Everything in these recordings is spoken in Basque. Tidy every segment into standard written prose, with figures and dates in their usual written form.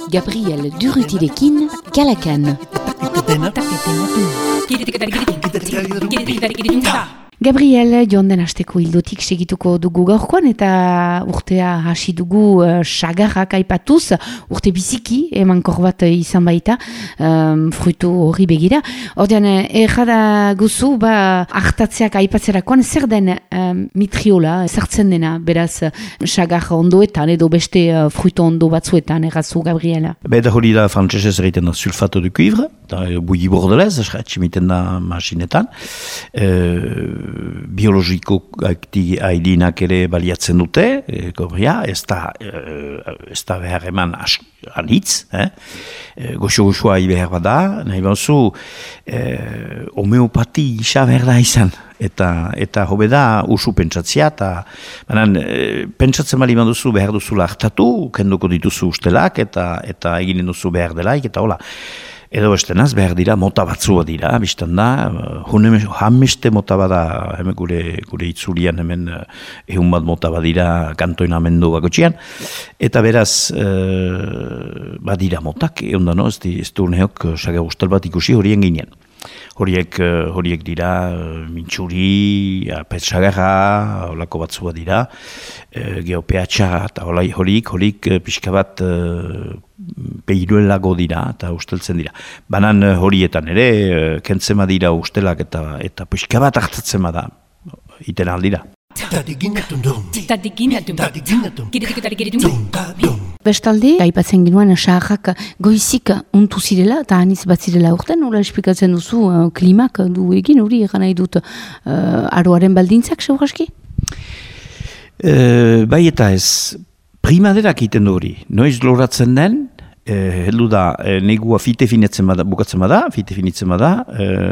Gabriel Durrutirekin, Kalakan. Gabriel, joan den asteko hildotik segituko dugu gaurkoan eta urtea hasi dugu sagarrak aipatuz, urte biziki emankor bat izan baita, fruitu hori begira. Ordean, errada guzu, hartatzeak aipatzerakoan, zer den mitriola, zertzen dena, beraz, sagar ondoetan edo beste fruitu ondo batzuetan, errazu, Gabriela? Beda hori da frantzesez egiten da sulfato de cuivre, bouilli bordelez, atximiten da masinetan, biologikoak haidinak ere baliatzen dute, ez da behar eman anitz, goxo-goxoa behar bada, nahi bauzu, homeopati isa behar da izan, eta hobe da usu pentsatzea, pentsatzen bali duzu behar duzula hartatu, kenduko dituzu ustelak, eta eginen duzu behar delaik, eta hola. Edo estenaz, behar dira, mota batzua dira, biztan da, hameste mota bada, hemen gure itzulian hemen ehun bat mota badira kantoinamendu bakotxian, eta beraz, badira motak, egon da, no? Ez du neok saga guztal bat ikusi horien ginen. Horiek dira mintxuri, petsagarra, holako batzua dira, geopeatxa, eta horik pixka bat behiruelago dira, eta usteltzen dira. Banan horietan ere, kentzema dira ustelak eta pixka bat hartatzen da, iten aldira. Bestalde, aipatzen ginoen saharrak goizik untu zirela eta aniz bat zirela urten, nola esplikatzen duzu klimak du egin hori egan nahi dut aroaren baldintzak, seguraski? Bai eta ez, primaderak egiten du hori, noiz loratzen den, heldu da, negua fite finitzen bada,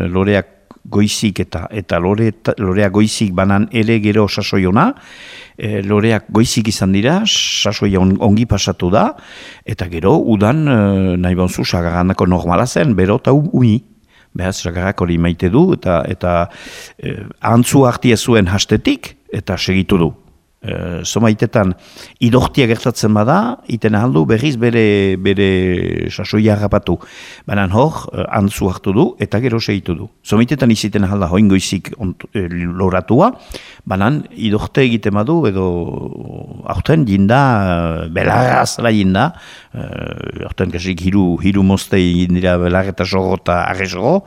loreak goizik eta loreak goizik banan ere gero sasoiona, loreak goizik izan dira, sasoia ongi pasatu da, eta gero udan nahi bonzu sagarranako normala zen, bero eta umi. Behaz, sagarrak hori maite du, eta antzu hartia zuen hastetik, eta segitu du. Zomaitetan, idortia gertatzen bada, iten ahaldu berriz bere sasoia harrapatu. Baina hor, antzu hartu du, eta gero segitu du. Zomaitetan iziten ahalda hoingoizik loratua, baina idorte egiten badu, edo aurten jinda, belarrazala jinda, aurten kasik hiru mozte jindira belar eta sogo eta arrezogo,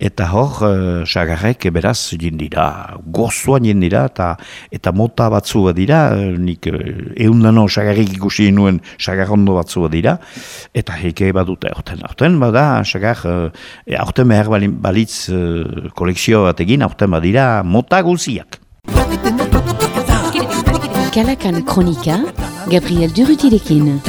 eta hor, sagarrek beraz jindira, gozoan jindira, eta mota batzu dira, nik eundano sagarrik ikusi nuen sagarrondo batzu dira, eta heike badute aurten bada, sagar, aurten behar balitz kolekzio bat egin, aurten badira mota guziak. Kalakan Kronika, Gabriel Durrutirekin.